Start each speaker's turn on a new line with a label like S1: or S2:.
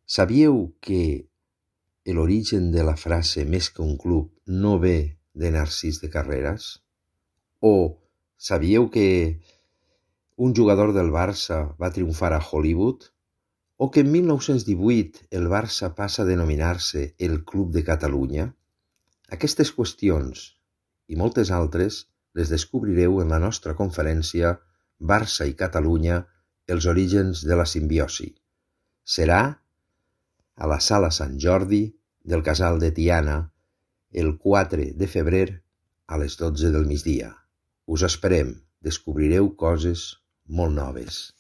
S1: Sabíeu que l'origen de la frase més que un club no ve de Narcís de Carreras? O sabíeu que un jugador del Barça va triomfar a Hollywood? O que en 1918 el Barça passa a denominar-se el Club de Catalunya? Aquestes qüestions i moltes altres les descobrireu en la nostra conferència Barça i Catalunya, els orígens de la simbiosi. Serà a la Sala Sant Jordi del Casal de Tiana el 4 de febrer a les 12 del migdia. Us esperem, descobrireu coses molt noves.